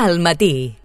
Al matí.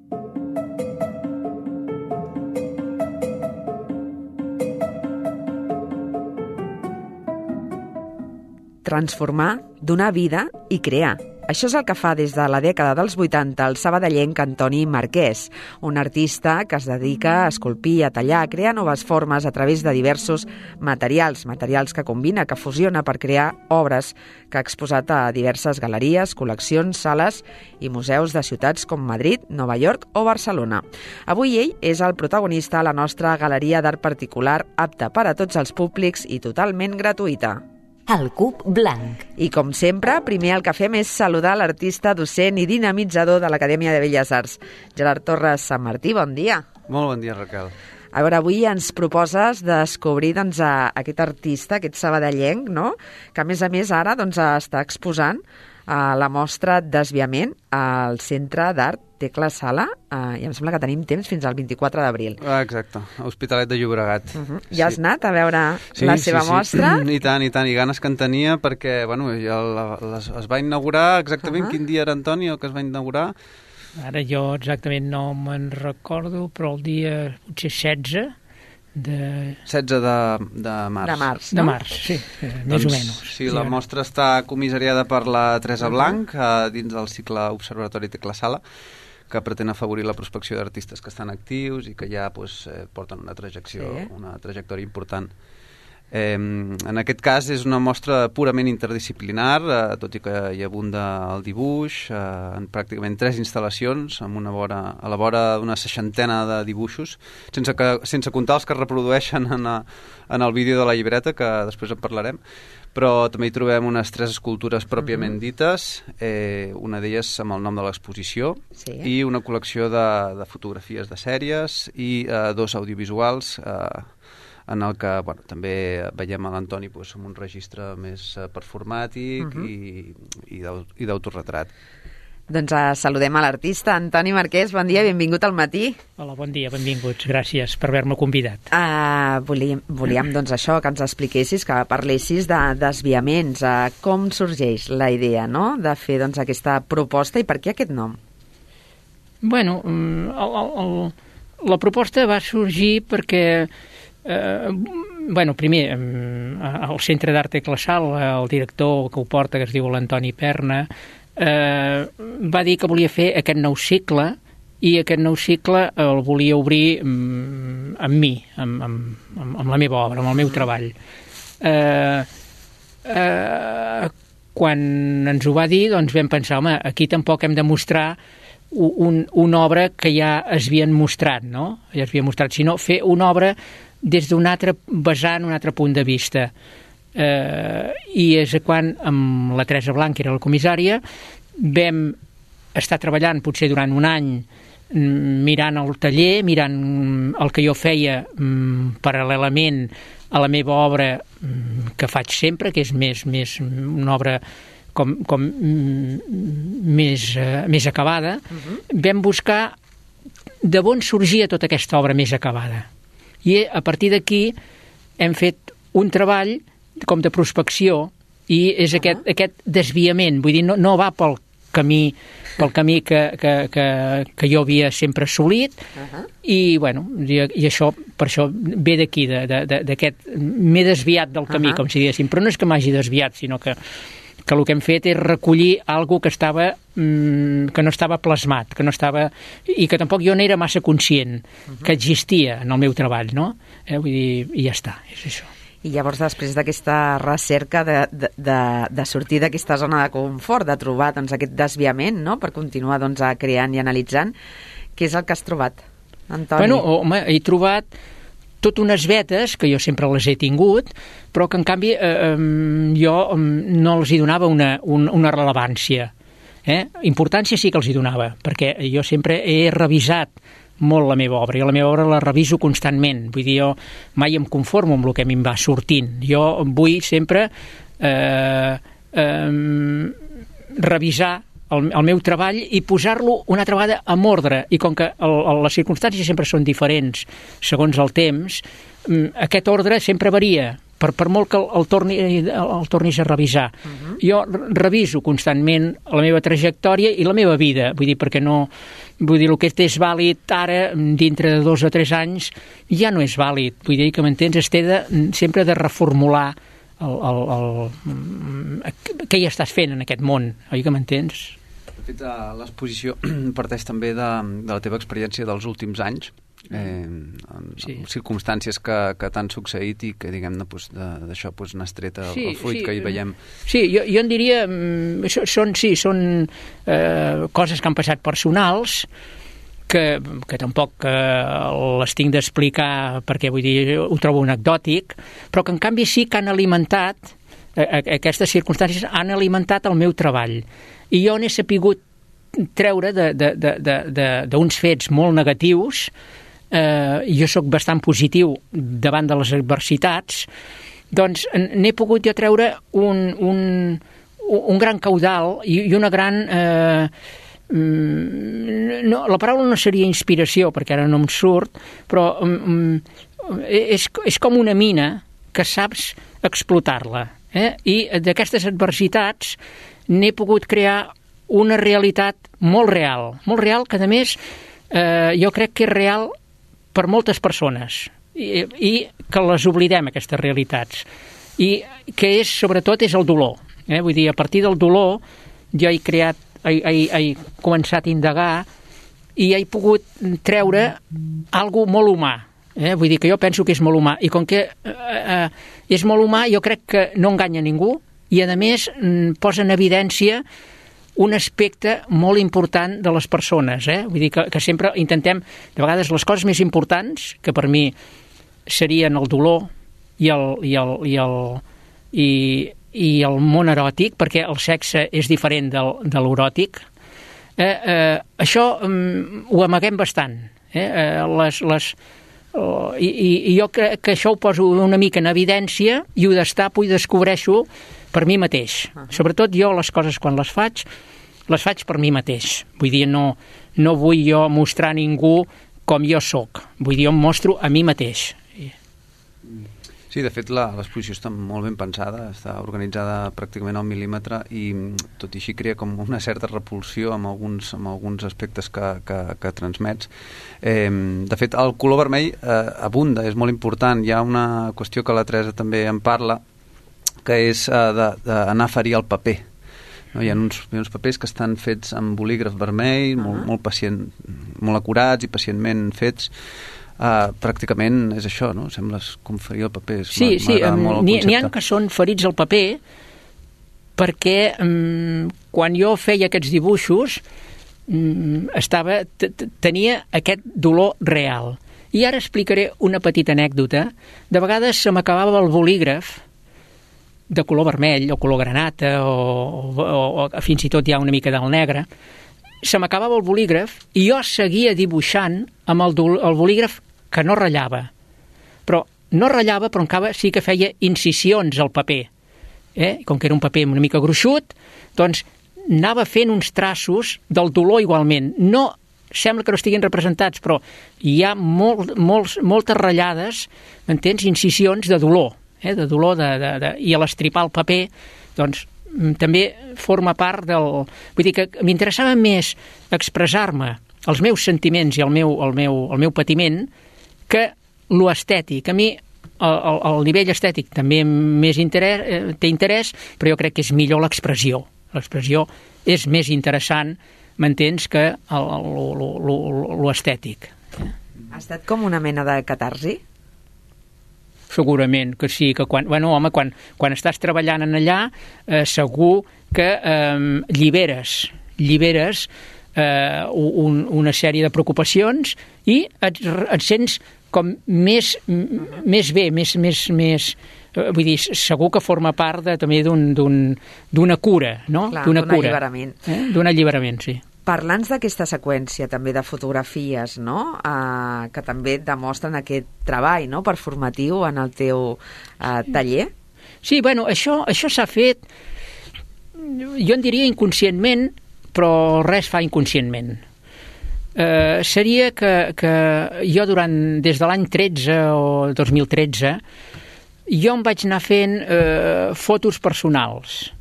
Transformar, donar vida i crear. Això és el que fa des de la dècada dels 80 el sabadellenc Antoni Marquès, un artista que es dedica a esculpir, a tallar, a crear noves formes a través de diversos materials que combina, que fusiona per crear obres que ha exposat a diverses galeries, col·leccions, sales i museus de ciutats com Madrid, Nova York o Barcelona. Avui ell és el protagonista a la nostra galeria d'art particular, apta per a tots els públics i totalment gratuïta. El cub blanc. I com sempre, primer el que fem és saludar l'artista, docent i dinamitzador de l'Acadèmia de Belles Arts. Gerard Torres Sant Martí, bon dia. Molt bon dia, Raquel. A veure, avui ens proposes descobrir aquest artista, aquest sabadellenc, no? Que a més ara està exposant a la mostra Desviament al Centre d'Art Tecla Sala, i em sembla que tenim temps fins al 24 d'abril. Exacte, a Hospitalet de Llobregat. Ja has anat a veure la seva mostra? I tant, i ganes que en tenia perquè, ja es va inaugurar exactament quin dia era, Antoni, el que es va inaugurar? Ara jo exactament no me'n recordo, però el dia potser 16 de... 16 de març. De març, no? De març, sí, més o menys. Sí, la mostra està comissariada per la Teresa Blanc dins del cicle Observatori Tecla Sala, que pretén afavorir la prospecció d'artistes que estan actius i que ja porten una trajectòria important. En aquest cas és una mostra purament interdisciplinar, tot i que hi abunda el dibuix, en pràcticament 3 instal·lacions, a la vora d'una 60 de dibuixos, sense comptar els que es reprodueixen en el vídeo de la llibreta, que després en parlarem, però també hi trobem unes 3 escultures pròpiament dites, una d'elles amb el nom de l'exposició, i una col·lecció de fotografies de sèries i 2 audiovisuals, en el que també veiem a l'Antoni amb un registre més performàtic i d'autorretrat. Doncs saludem a l'artista Antoni Marquès. Bon dia, benvingut al matí. Hola, bon dia, benvinguts. Gràcies per haver-me convidat. Volíem això, que ens expliquessis, que parlessis de desviaments. Com sorgeix la idea, no?, de fer aquesta proposta i per què aquest nom? Bueno, la proposta va sorgir perquè primer, al Centre d'Art Tecla Sala, el director que ho porta, que es diu l'Antoni Perna, va dir que volia fer aquest nou cicle i aquest nou cicle el volia obrir amb mi, amb la meva obra, amb el meu treball. Quan ens ho va dir, doncs vam pensar, home, aquí tampoc hem de mostrar una obra que ja es havien mostrat, no? Ja es havia mostrat, sinó fer una obra des d'un altre vessant, un altre punt de vista. I és quan amb la Teresa Blanc, que era la comissària, vam estar treballant potser durant un any mirant el taller, mirant el que jo feia paral·lelament a la meva obra que faig sempre, que és més una obra com més acabada. Vam buscar de on sorgia tota aquesta obra més acabada. I a partir d'aquí hem fet un treball com de prospecció i és aquest desviament, vull dir, no va pel camí que jo havia sempre assolit i això, per això ve d'aquí, d'aquest m'he desviat del camí, com si diguéssim, però no és que m'hagi desviat, sinó que el que hem fet és recollir alguna cosa que no estava plasmat, i que tampoc jo n'era massa conscient que existia en el meu treball, no? Vull dir, i ja està, és això. I llavors, després d'aquesta recerca de sortir d'aquesta zona de confort, de trobar aquest desviament, no?, per continuar creant i analitzant, què és el que has trobat, Antoni? Bueno, home, he trobat tot unes vetes, que jo sempre les he tingut, però que en canvi jo no els hi donava una rellevància. Importància sí que els hi donava, perquè jo sempre he revisat molt la meva obra, i la meva obra la reviso constantment, vull dir, jo mai em conformo amb el que a mi em va sortint, jo vull sempre revisar el meu treball i posar-lo una altra vegada en ordre, i com que les circumstàncies sempre són diferents segons el temps, aquest ordre sempre varia, per molt que el tornis a revisar. Jo reviso constantment la meva trajectòria i la meva vida, vull dir, perquè no Vull dir, el que és vàlid ara, dintre de 2 o 3 anys, ja no és vàlid. Vull dir que, m'entens, es té sempre de reformular què hi estàs fent en aquest món, oi que m'entens? De fet, l'exposició parteix també de la teva experiència dels últims anys, amb circumstàncies que t'han succeït i que, diguem-ne, d'això n'has tret el fruit que hi veiem. Sí, jo en diria, són coses que han passat personals, que tampoc les tinc d'explicar perquè, vull dir, ho trobo anecdòtic, però que en canvi sí que han alimentat, aquestes circumstàncies han alimentat el meu treball. I jo n'he sapigut treure d'uns fets molt negatius. Jo sóc bastant positiu davant de les adversitats, doncs n'he pogut jo treure un gran caudal i una gran... no, la paraula no seria inspiració, perquè ara no em surt, però és com una mina que saps explotar-la. I d'aquestes adversitats n'he pogut crear una realitat molt real, que a més jo crec que és real per moltes persones i que les oblidem, aquestes realitats, i que sobretot és el dolor. Vull dir, a partir del dolor jo he començat a indagar i he pogut treure alguna molt humà. Vull dir que jo penso que és molt humà, i com que és molt humà, jo crec que no enganya ningú i a més posa en evidència un aspecte molt important de les persones. Vull dir que sempre intentem, de vegades, les coses més importants, que per mi serien el dolor i el món eròtic, perquè el sexe és diferent de l'eròtic, això ho amaguem bastant. I jo crec que això ho poso una mica en evidència i ho destapo i descobreixo per mi mateix. Sobretot jo les coses quan les faig per mi mateix. Vull dir, no vull jo mostrar a ningú com jo sóc. Vull dir, jo em mostro a mi mateix. Sí, de fet, l'exposició està molt ben pensada, està organitzada pràcticament al mil·límetre i tot i així crea com una certa repulsió amb alguns aspectes que transmets. De fet, el color vermell abunda, és molt important. Hi ha una qüestió que la Teresa també en parla, que és d'anar a ferir el paper. Hi ha uns papers que estan fets amb bolígraf vermell, molt acurats i pacientment fets. Pràcticament és això, no? Sembles com ferir el paper. Sí, n'hi ha que són ferits al paper perquè quan jo feia aquests dibuixos tenia aquest dolor real. I ara explicaré una petita anècdota. De vegades se m'acabava el bolígraf de color vermell o color granata o fins i tot hi ha una mica del negre. Se m'acabava el bolígraf i jo seguia dibuixant amb el bolígraf que no ratllava. Però encara sí que feia incisions al paper. Com que era un paper una mica gruixut, doncs anava fent uns traços del dolor igualment. No, sembla que no estiguin representats, però hi ha moltes ratllades, m'entens? Incisions de dolor. De dolor i a l'estripar el paper, doncs també forma part del... Vull dir que m'interessava més expressar-me els meus sentiments i el meu patiment que lo estètic. A mi el nivell estètic també té interès, però jo crec que és millor l'expressió. L'expressió és més interessant, m'entens, que lo estètic. Ha estat com una mena de catarsi? Segurament que sí, que quan estàs treballant en allà, segur que lliberes una sèrie de preocupacions i et sents com més bé, més vull dir, segur que forma part també d'una cura, no? Clar, d'un alliberament. D'un alliberament, sí. Parlant d'aquesta seqüència també de fotografies, no? Que també demostren aquest treball, no?, performatiu en el teu taller. Sí, bueno, això s'ha fet, jo en diria inconscientment, però res fa inconscientment. Seria que jo des de l'any 13 o 2013 jo em vaig anar fent fotos personals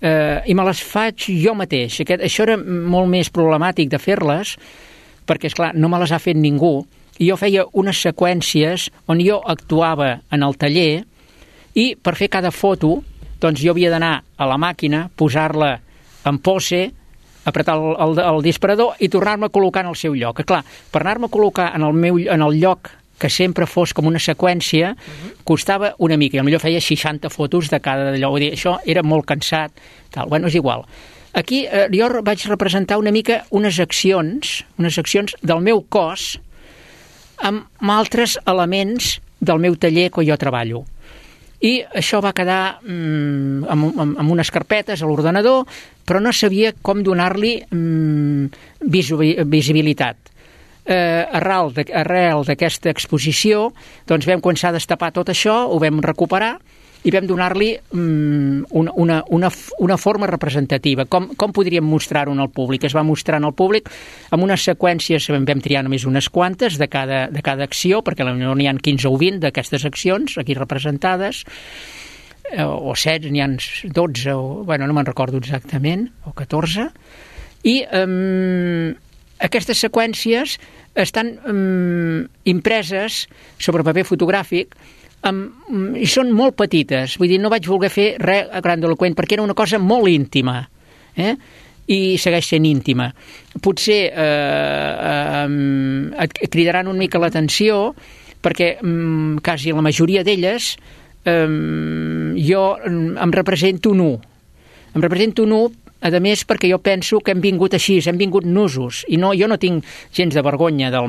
i me les faig jo mateix. Això era molt més problemàtic de fer-les, perquè, esclar, no me les ha fet ningú, i jo feia unes seqüències on jo actuava en el taller, i per fer cada foto, doncs jo havia d'anar a la màquina, posar-la en pose, apretar el disparador i tornar-me a col·locar en el seu lloc. Clar, per anar-me a col·locar en el lloc que sempre fos com una seqüència, costava una mica, i potser feia 60 fotos de cada d'allò. Vull dir, això era molt cansat, tal. Bueno, és igual. Aquí jo vaig representar una mica unes accions del meu cos amb altres elements del meu taller que jo treballo. I això va quedar amb unes carpetes a l'ordenador, però no sabia com donar-li visibilitat. Arrel d'aquesta exposició, doncs vam començar a destapar tot això, ho vam recuperar i vam donar-li una forma representativa. Com podríem mostrar-ho al públic? Es va mostrar al públic amb unes seqüències, vam triar només unes quantes de cada acció, perquè potser n'hi ha 15 o 20 d'aquestes accions aquí representades, o 7, n'hi ha 12, no me'n recordo exactament, o 14, i aquestes seqüències estan impreses sobre paper fotogràfic i són molt petites. Vull dir, no vaig voler fer res grandiloqüent perquè era una cosa molt íntima, i segueix sent íntima. Potser et cridaran una mica l'atenció perquè quasi la majoria d'elles jo em represento nu. Em represento nu, a més, perquè jo penso que hem vingut així, hem vingut nusos, i jo no tinc gens de vergonya de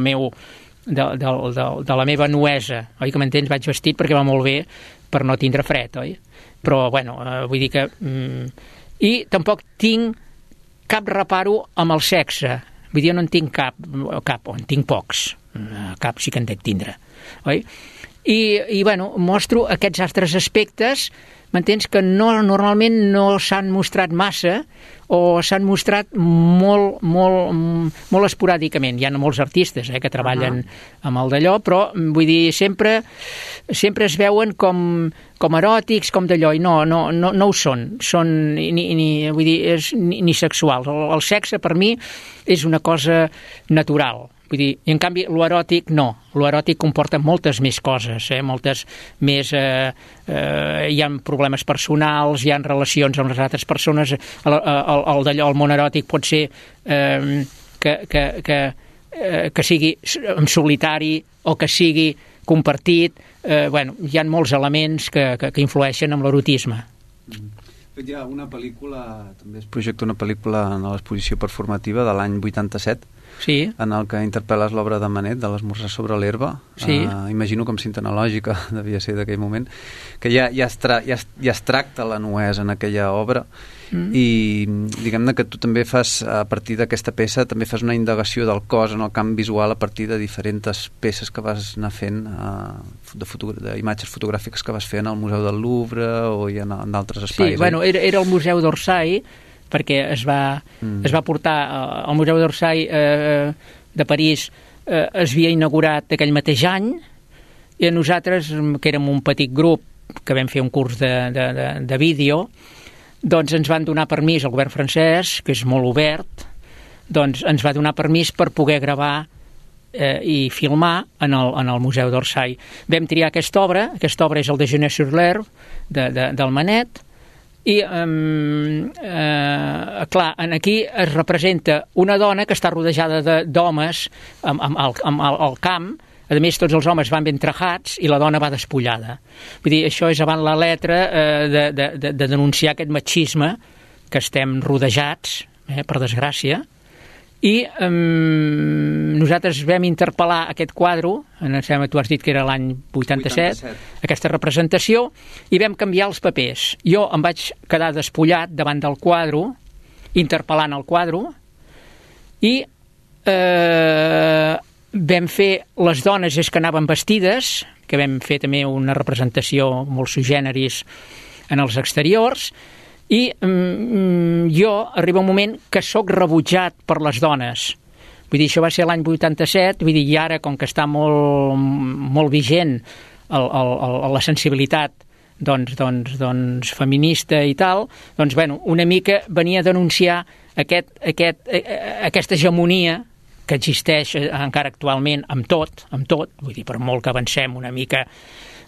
la meva nuesa, oi que m'entens? Vaig vestit perquè va molt bé per no tindre fred, oi? Però, vull dir que... I tampoc tinc cap reparo amb el sexe. Vull dir, jo no en tinc cap, en tinc pocs. Cap sí que en dec tindre, oi? I mostro aquests altres aspectes, m'entens, que normalment no s'han mostrat massa o s'han mostrat molt esporàdicament. Hi ha molts artistes que treballen amb el d'allò, però vull dir, sempre es veuen com eròtics, com d'allò, i no ho són. Són vull dir, ni sexuals. El sexe per mi és una cosa natural. Vull dir, i en canvi l'eròtic no. L'eròtic comporta moltes més coses, moltes més... hi ha problemes personals, hi ha relacions amb les altres persones, el món eròtic pot ser que sigui en solitari o que sigui compartit. Hi ha molts elements que influeixen en l'erotisme. Hi ha una pel·lícula, també es projecta una pel·lícula en l'exposició performativa de l'any 87, sí, en el que interpel·les l'obra de Manet, de l'Esmorzar sobre l'herba. Sí. Imagino com cinta analògica devia ser d'aquell moment, que ja es tracta la nuesa en aquella obra, i diguem-ne que tu també fas, a partir d'aquesta peça, també fas una indagació del cos en el camp visual a partir de diferents peces que vas anar fent, d'imatges fotogràfiques que vas fer en el Museu del Louvre o en d'altres espais. Sí, era el Museu d'Orsay, perquè es va portar al Museu d'Orsay de París, es havia inaugurat aquell mateix any, i nosaltres, que érem un petit grup que vam fer un curs de vídeo, doncs ens van donar permís al govern francès, que és molt obert, doncs ens va donar permís per poder gravar i filmar en el Museu d'Orsay. Vam triar aquesta obra és el Déjeuner-sur-l'herbe del Manet, i clar, aquí es representa una dona que està rodejada d'homes al camp. A més, tots els homes van ben trajats i la dona va despullada. Vull dir, això és avant la letra de denunciar aquest machisme que estem rodejats, per desgràcia. I nosaltres vam interpel·lar aquest quadre, tu has dit que era l'any 87, aquesta representació, i vam canviar els papers. Jo em vaig quedar despullat davant del quadre, interpel·lant el quadre, i vam fer les dones que anaven vestides, que vam fer també una representació molt sui generis en els exteriors, i jo arriba un moment que sóc rebutjat per les dones. Vull dir, això va ser l'any 87, vull dir, i ara, com que està molt vigent la sensibilitat feminista i tal, doncs, bueno, una mica venia a denunciar aquesta hegemonia que existeix encara actualment amb tot, vull dir, per molt que avancem una mica,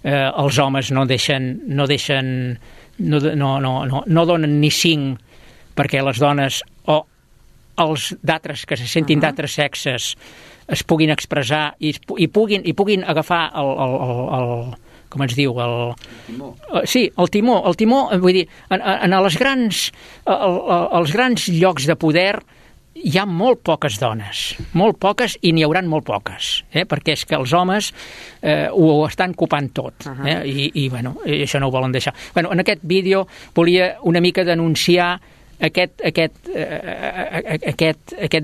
els homes no donen ni 5 perquè les dones o els d'altres que se sentin d'altres sexes es puguin expressar i puguin agafar el com es diu, el timó, vull dir, en els grans llocs de poder hi ha molt poques dones, molt poques, i n'hi hauran molt poques, perquè és que els homes ho estan copant tot, i bueno, això no ho volen deixar. Bueno, en aquest vídeo volia una mica denunciar aquest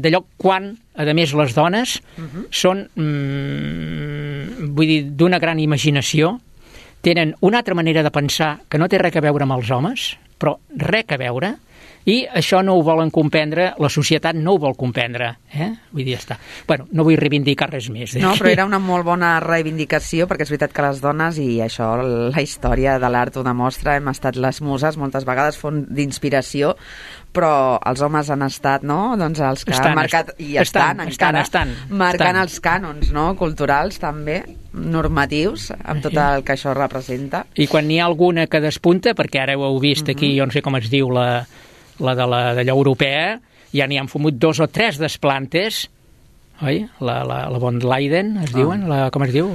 d'allò quan, a més, les dones són, vull dir, d'una gran imaginació, tenen una altra manera de pensar que no té res a veure amb els homes, però res a veure, i això no ho volen comprendre, la societat no ho vol comprendre, vull dir, ja està. Bueno, no vull reivindicar res més. No, però era una molt bona reivindicació, perquè és veritat que les dones, i això la història de l'art ho demostra, hem estat les muses moltes vegades, font d'inspiració, però els homes han estat, no?, doncs els que han marcat, i estan marcant els cànons, no?, culturals també, normatius, amb tot el que això representa. I quan n'hi ha alguna que despunta, perquè ara ho heu vist aquí, jo no sé com es diu, la d'allò europea, ja n'hi han fumut 2 o 3 desplantes, oi? La von Leiden, es diuen? Com es diu?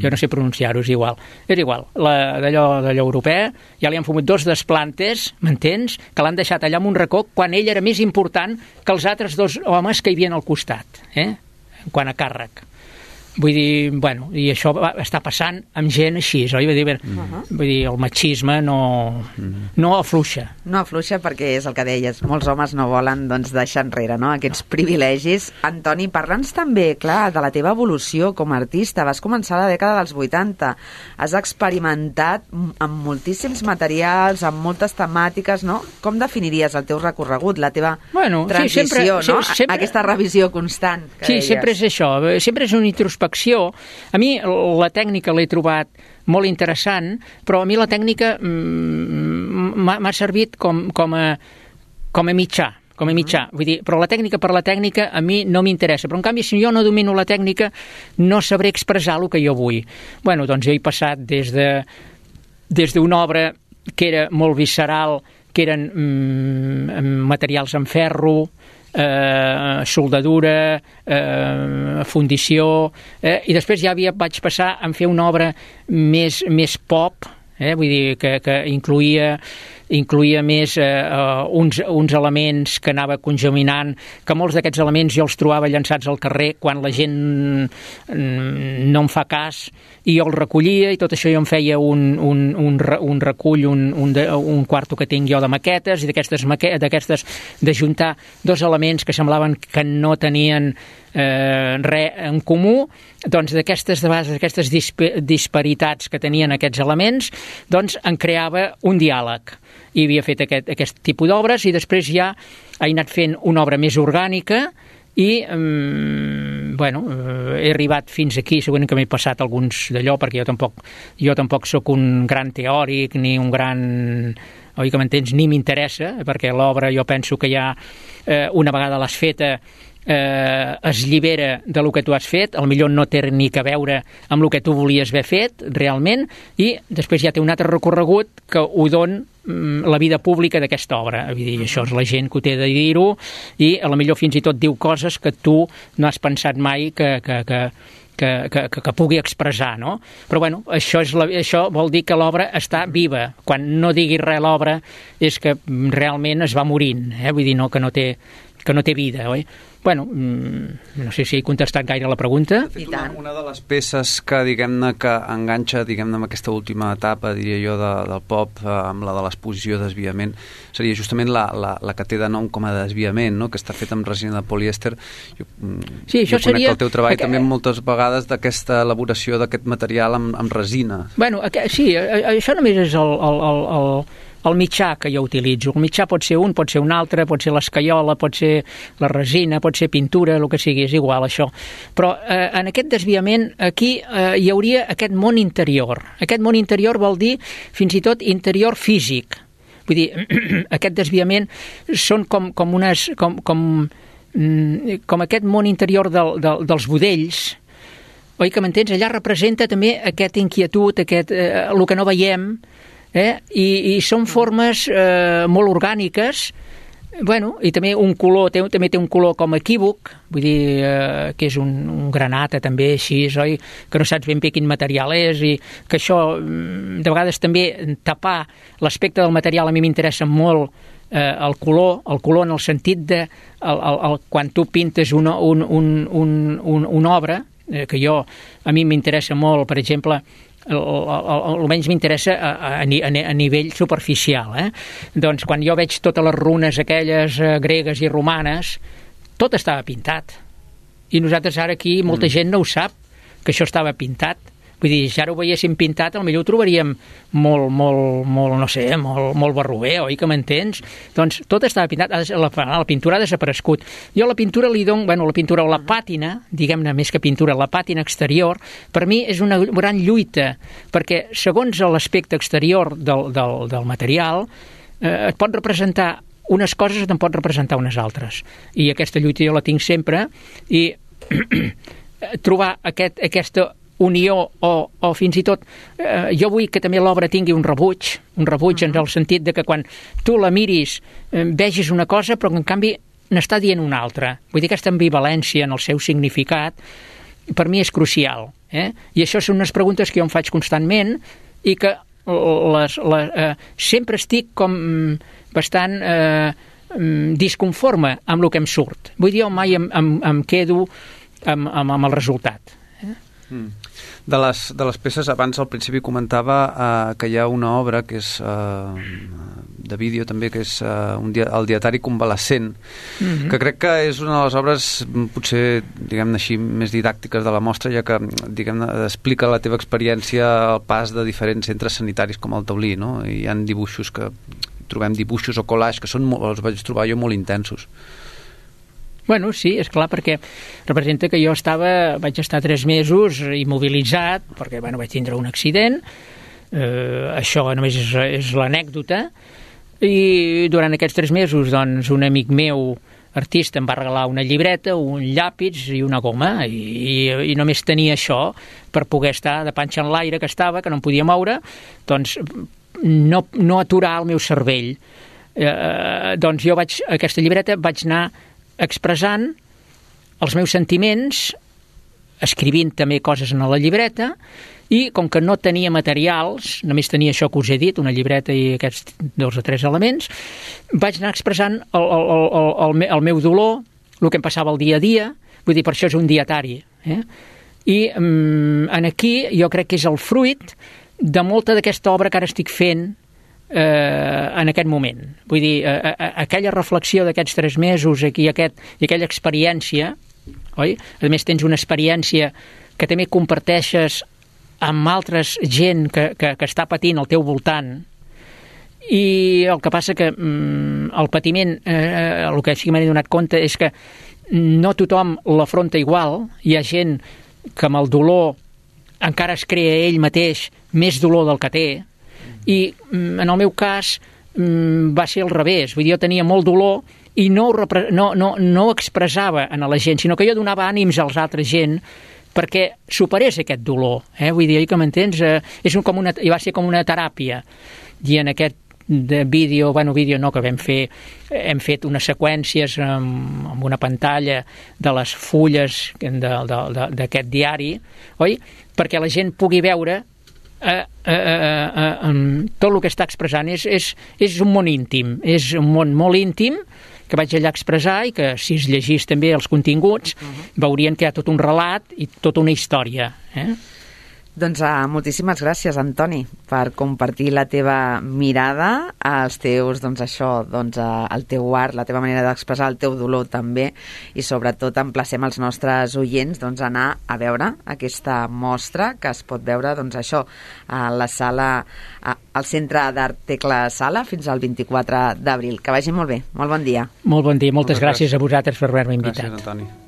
Jo no sé pronunciar-ho, és igual. És igual, d'allò europea, ja li han fumut 2 desplantes, m'entens? Que l'han deixat allà en un racó, quan ell era més important que els altres 2 homes que hi havien al costat, en quant a càrrec. Vull dir, bueno, i això està passant amb gent així, oi? Vull dir, el machisme no afluixa. No afluixa perquè és el que deies, molts homes no volen, doncs, deixar enrere, no?, aquests privilegis. Antoni, parla'ns també, clar, de la teva evolució com a artista. Vas començar a la dècada dels 80, has experimentat amb moltíssims materials, amb moltes temàtiques, no? Com definiries el teu recorregut, la teva transició, no? Aquesta revisió constant que deies. Sí, sempre és això, sempre és una introspecció. A mi la tècnica l'he trobat molt interessant, però a mi la tècnica m'ha servit com a mitjà. Vull dir, però la tècnica per la tècnica a mi no m'interessa, però en canvi si jo no domino la tècnica no sabré expressar el que jo vull. Bueno, doncs jo he passat des d'una obra que era molt visceral, que eren materials en ferro, soldadura, fundició, i després ja vaig passar a fer una obra més pop, vull dir que incloïa més uns elements que anava congeminant, que molts d'aquests elements jo els trobava llançats al carrer quan la gent no em fa cas, i jo els recollia, i tot això jo em feia un recull, un quarto que tinc jo de maquetes, i d'aquestes d'ajuntar 2 elements que semblaven que no tenien res en comú, doncs d'aquestes disparitats que tenien aquests elements, doncs en creava un diàleg. I havia fet aquest tipus d'obres, i després ja he anat fent una obra més orgànica, i bueno, he arribat fins aquí, segurament que m'he passat alguns d'allò, perquè jo tampoc sóc un gran teòric, ni un gran... oi que m'entens? Ni m'interessa, perquè l'obra jo penso que ja una vegada l'has feta es llibera de lo que tu has fet, potser no té ni que veure amb el que tu volies haver fet realment, i després ja té un altre recorregut que ho don la vida pública d'aquesta obra. Vull dir, això és la gent que ho té de dir-ho, i potser fins i tot diu coses que tu no has pensat mai que pugui expressar, no? Però bueno, això vol dir que l'obra està viva. Quan no diguis res l'obra és que realment es va morint, vull dir, que no té vida, oi? Bueno, no sé si he contestat gaire la pregunta. Una de les peces que, diguem-ne, que enganxa, diguem-ne, amb aquesta última etapa, diria jo, del pop, amb la de l'exposició desviament, seria justament la que té de nom com a desviament, no?, que està feta amb resina de polièster. Jo conec el teu treball també moltes vegades d'aquesta elaboració d'aquest material amb resina. Bueno, sí, això només és el mitjà que jo utilitzo. El mitjà pot ser un, pot ser un altre, pot ser l'escaiola, pot ser la resina, pot ser pintura, el que sigui, és igual això. Però en aquest desviament aquí hi hauria aquest món interior. Aquest món interior vol dir fins i tot interior físic. Vull dir, aquest desviament són com aquest món interior dels budells, oi que m'entens? Allà representa també aquesta inquietud, el que no veiem, i són formes molt orgàniques, bueno, i també un color, també té un color com equívoc, vull dir que és un granata també així, oi? Que no saps ben bé quin material és, i que això, de vegades també tapar l'aspecte del material a mi m'interessa molt, el color en el sentit de quan tu pintes una obra, que a mi m'interessa molt, per exemple, almenys m'interessa a nivell superficial. Doncs quan jo veig totes les runes aquelles gregues i romanes, tot estava pintat. I nosaltres ara aquí, molta gent no ho sap, que això estava pintat. Vull dir, si ara ho veiéssim pintat, potser ho trobaríem molt barroer, oi que m'entens? Doncs tot estava pintat, la pintura ha desaparegut. Jo a la pintura li dono, la pintura o la pàtina, diguem-ne més que pintura, la pàtina exterior, per mi és una gran lluita, perquè segons l'aspecte exterior del material, et pot representar unes coses o te'n pot representar unes altres. I aquesta lluita jo la tinc sempre, i trobar aquesta unió o fins i tot jo vull que també l'obra tingui un rebuig en el sentit de que quan tu la miris vegis una cosa però que en canvi n'està dient una altra. Vull dir, aquesta ambivalència en el seu significat per mi és crucial. I això són unes preguntes que jo em faig constantment i que sempre estic com bastant disconforme amb el que em surt. Vull dir, jo mai em quedo amb el resultat. De les peces, abans al principi comentava que hi ha una obra que és de vídeo també, que és el dietari convalescent, que crec que és una de les obres potser, diguem-ne així, més didàctiques de la mostra, ja que, diguem-ne, explica la teva experiència al pas de diferents centres sanitaris com el Taulí, no? I hi ha dibuixos trobem dibuixos o collage que els vaig trobar jo molt intensos. Bueno, sí, és clar, perquè representa que jo vaig estar 3 mesos immobilitzat, perquè vaig tindre un accident, això només és l'anècdota, i durant aquests 3 mesos, doncs, un amic meu, artista, em va regalar una llibreta, un llàpis i una goma, i només tenia això per poder estar de panxa en l'aire que estava, que no em podia moure, doncs no aturar el meu cervell. Doncs jo aquesta llibreta vaig anar expressant els meus sentiments, escrivint també coses en la llibreta, i com que no tenia materials, només tenia això que us he dit, una llibreta i aquests 2 o 3 elements, vaig anar expressant el meu dolor, el que em passava el dia a dia, vull dir, per això és un dietari. I aquí jo crec que és el fruit de molta d'aquesta obra que ara estic fent en aquest moment. Vull dir, aquella reflexió d'aquests 3 mesos i aquella experiència, oi? A més, tens una experiència que també comparteixes amb altres gent que està patint al teu voltant, i el que passa que el patiment, el que sí que m'he donat compte és que no tothom l'afronta igual. Hi ha gent que amb el dolor encara es crea ell mateix més dolor del que té, i en el meu cas va ser al revés. Vull dir, jo tenia molt dolor i no ho expressava a la gent, sinó que jo donava ànims als altres gent perquè superés aquest dolor. Vull dir, que m'entens? I va ser com una teràpia. I en aquest vídeo no, que hem fet unes seqüències amb una pantalla de les fulles d'aquest diari, oi? Perquè la gent pugui veure tot el que està expressant. És un món íntim, és un món molt íntim que vaig allà expressar, i que si es llegís també els continguts veurien que hi ha tot un relat i tota una història. Doncs moltíssimes gràcies, Antoni, per compartir la teva mirada, els teus, el teu art, la teva manera d'expressar el teu dolor també, i sobretot emplacem els nostres oients a anar a veure aquesta mostra que es pot veure a la sala, al Centre d'Art Tecla Sala fins al 24 d'abril. Que vagi molt bé. Molt bon dia. Molt bon dia. Moltes gràcies a vosaltres per haver-me invitat. Gràcies, Antoni.